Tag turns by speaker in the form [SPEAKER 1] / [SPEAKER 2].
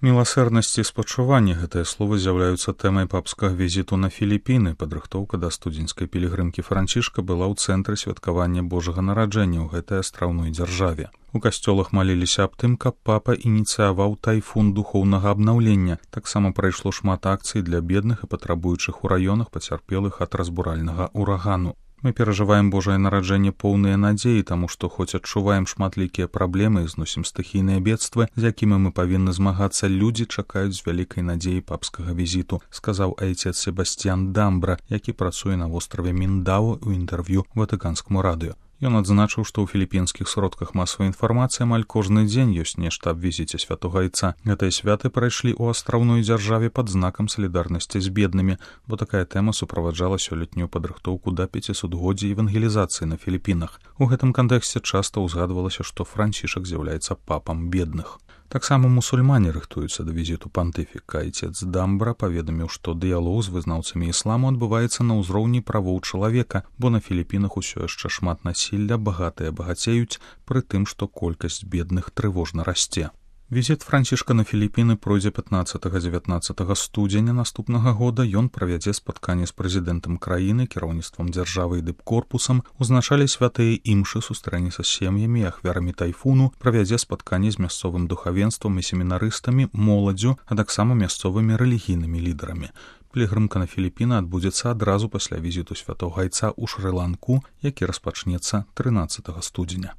[SPEAKER 1] Міласэрнасць і спачуванне гэтыя словы з'яўляюцца тэмай папскага візіту на Філіпіны. Падрыхтоўка да студзеньскай пілігрымкі Францішка была ў цэнтры святкавання Божага нараджэння ў гэтай астраўной дзяржаве. У касцёлах маліліся аб тым, каб папа ініцыяваў тайфун духоўнага абнаўлення. Таксама прайшло шмат акцый для бедных і патрабуючых у раёнах, пацярпелых ад разбуральнага урагану. Мы перажываем Божае нараджэнне поўныя надзеі, таму што хоць адчуваем шматлікія праблемы і зносім стыхійныя бедствы, з якімі мы павінны змагацца, людзі чакаюць з вялікай надзеяй папскага візіту, сказаў айцец Себасцьян Дамбра, які працуе на востраве Міндау ў інтэрв'ю Ватыканскаму радыё. Ён адзначыў, што ў філіпінскіх сродках масавай інфармацыі амаль кожны дзень ёсць нешта аб візіце святога айца. Гэтыя святы прайшлі ў астраўной дзяржаве пад знакам салідарнасці з беднымі, бо такая тэма суправаджала сёлетнюю падрыхтоўку да 500годдзя евангелізацыі на Філіпінах. У гэтым кантэксце часта ўзгадвалася, што Францішак з'яўляецца папам бедных. Таксама мусульмане рыхтуюцца да візіту пантыфіка. Айцец Дамбра паведаміў, што дыялог з вызнаўцамі ісламу адбываецца на ўзроўні правоў чалавека, бо на Філіпінах усё яшчэ шмат насілля, багатыя багацеюць, пры тым, што колькасць бедных трывожна расце. Візіт Францішка на Філіпіны пройдзе 15-19 студзеня наступнага года. Ён правядзе спатканне з прэзідэнтам краіны, кіраўніцтвам дзяржавы і дыпкорпусам, узначалі святыя імшы, сустрэнецца з сем'ямі і ахвярамі тайфуну, правядзе спатканне з мясцовым духавенствам і семінарыстамі, моладдзю, а таксама мясцовымі рэлігійнымі лідарамі. Пілігрымка на Філіпіны адбудзецца адразу пасля візіту святога айца ў Шры-Ланку, які распачнецца 13 студзеня.